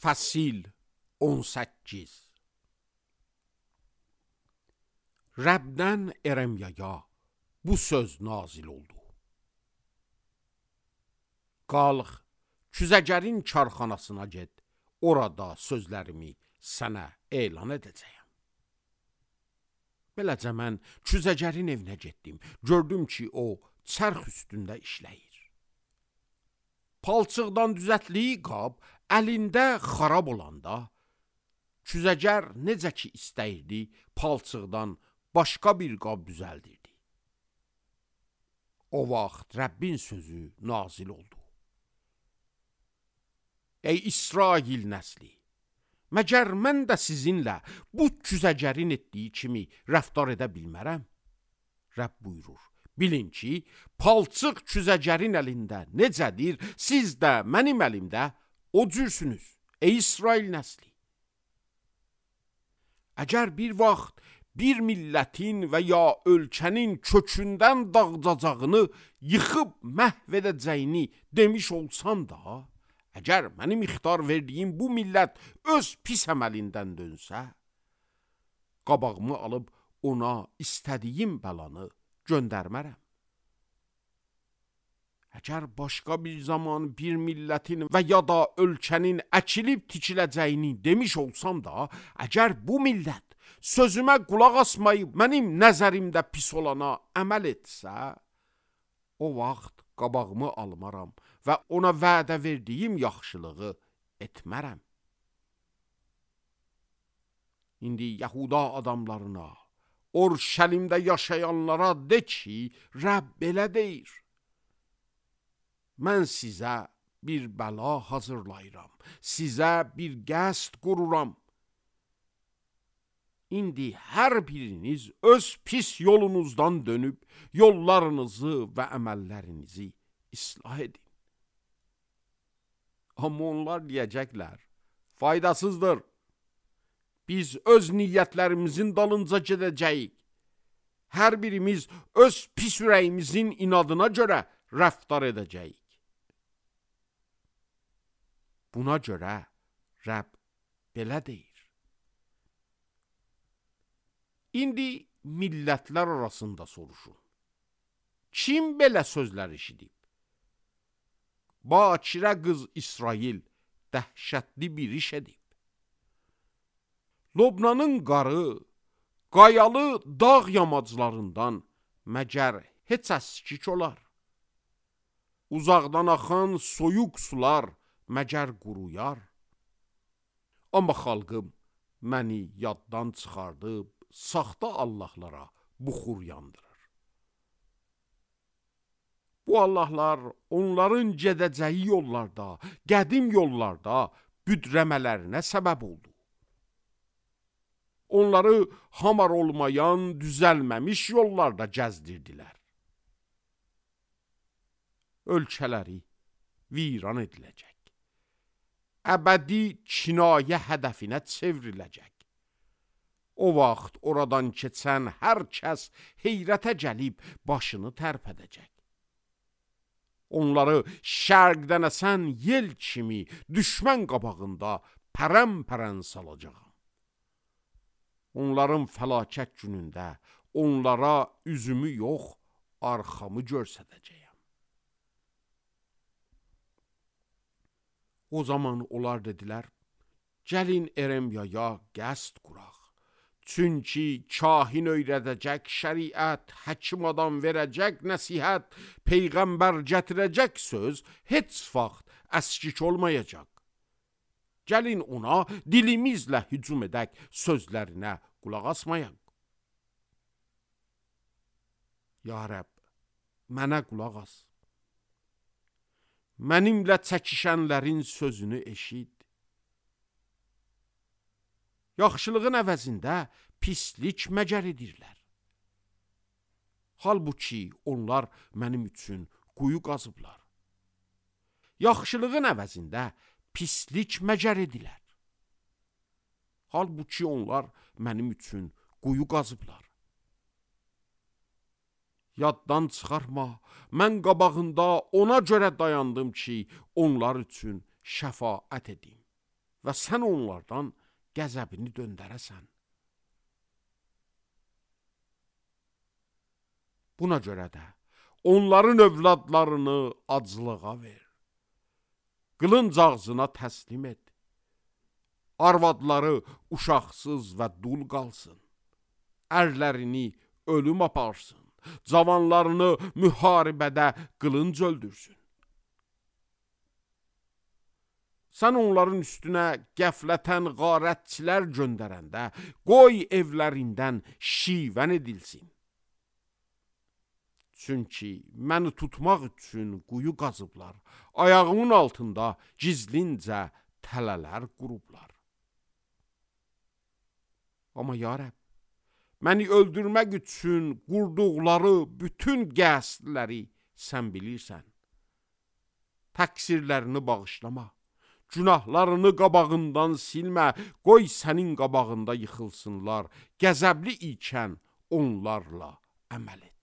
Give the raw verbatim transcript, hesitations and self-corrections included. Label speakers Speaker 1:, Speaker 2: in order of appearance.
Speaker 1: Fəsil on səkkiz. Rəbdən Eremyaya bu söz nazil oldu. Qalx, küzəgərin karxanasına get, orada sözlərimi sənə elan edəcəyəm. Beləcə mən küzəgərin evinə getdim, gördüm ki, o çərx üstündə işləyir. Palçıqdan düzətliyi qab əlində xarab olanda, küzəgər necə ki istəyirdi, palçıqdan başqa bir qab düzəldirdi. O vaxt Rəbbin sözü nazil oldu. Ey İsrail nəsli, məgər mən də sizinlə bu küzəgərin etdiyi kimi rəftar edə bilmərəm? Rəbb buyurur, bilin ki, palçıq küzəgərin əlində necədir, siz də mənim əlimdə o cürsünüz, ey İsrail nəsli. Əgər bir vaxt bir millətin və ya ölkənin kökündən dağıdacağını, yıxıb məhv edəcəyini demiş olsam da, əgər mənim ixtar verdiyim bu millət öz pis əməlindən dönsə, qabağımı alıb ona istədiyim bəlanı göndərmərəm. Əgər başqa bir zaman bir millətin və ya da ölkənin əkilib tikiləcəyini demiş olsam da, əgər bu millət sözümə qulaq asmayıb mənim nəzərimdə pis olana əməl etsə, o vaxt qabağımı almaram və ona vədə verdiyim yaxşılığı etmərəm. İndi Yahuda adamlarına, Orşəlimdə yaşayanlara de ki, Rəbb belə deyir. Mən sizə bir bəla hazırlayıram, sizə bir qəsd qururam. İndi hər biriniz öz pis yolunuzdan dönüb, yollarınızı və əməllərinizi islah edin. Amma onlar deyəcəklər, faydasızdır. Biz öz niyyətlərimizin dalınca gedəcəyik. Hər birimiz öz pis ürəyimizin inadına görə rəftar edəcəyik. Buna görə Rəbb belə deyir. İndi millətlər arasında soruşun. Kim belə sözlər eşidib? Bakirə qız İsrail dəhşətli bir iş edib. Lobnanın qarı, qayalı dağ yamaclarından məgər heç əskik olar? Uzaqdan axan soyuq sular məgər quruyar? Amma xalqım məni yaddan çıxardıb, saxta allahlara buxur yandırır. Bu allahlar onların gedəcəyi yollarda, qədim yollarda büdrəmələrinə səbəb oldu. Onları hamar olmayan, düzəlməmiş yollarda gəzdirdilər. Ölkələri viran ediləcək. Əbədi kinayə hədəfinə çevriləcək. O vaxt oradan keçən hər kəs heyrətə gəlib başını tərpədəcək. Onları şərqdən əsən yel kimi düşmən qabağında pərən-pərən salacağam. Onların fəlakət günündə onlara üzümü yox, arxamı göstərəcəyəm. O zaman onlar dedilər, gəlin Eremyaya qəsd quraq. Çünki kahin öyrədəcək şəriət, həkim adam verəcək nəsihət, peyğəmbər gətirəcək söz heç vaxt əskik olmayacaq. Gəlin ona dilimizlə hücum edək, sözlərinə qulaq asmayaq. Ya Rəbb, mənə qulaq as. Mənimlə çəkişənlərin sözünü eşid. Yaxşılığın əvəzində pislik məcər edirlər. Halbuki onlar mənim üçün quyu qazıblar. Yaxşılığın əvəzində pislik məcər edilər. Halbuki onlar mənim üçün quyu qazıblar. Yaddan çıxarma, mən qabağında ona görə dayandım ki, onlar üçün şəfaət edim və sən onlardan qəzəbini döndərəsən. Buna görə də onların övladlarını aclığa ver. Qılınc ağzına təslim et. Arvadları uşaqsız və dul qalsın. Ərlərini ölüm aparsın. Cavanlarını müharibədə qılınc öldürsün. Sən onların üstünə qəflətən qarətçilər göndərəndə, qoy evlərindən şivən edilsin. Çünki məni tutmaq üçün quyu qazıblar, ayağımın altında gizlincə tələlər qurublar. Amma ya Rəbb, məni öldürmək üçün qurduqları bütün qəsdləri sən bilirsən. Təqsirlərini bağışlama, günahlarını qabağından silmə, qoy sənin qabağında yıxılsınlar, qəzəbli ikən onlarla əməl et.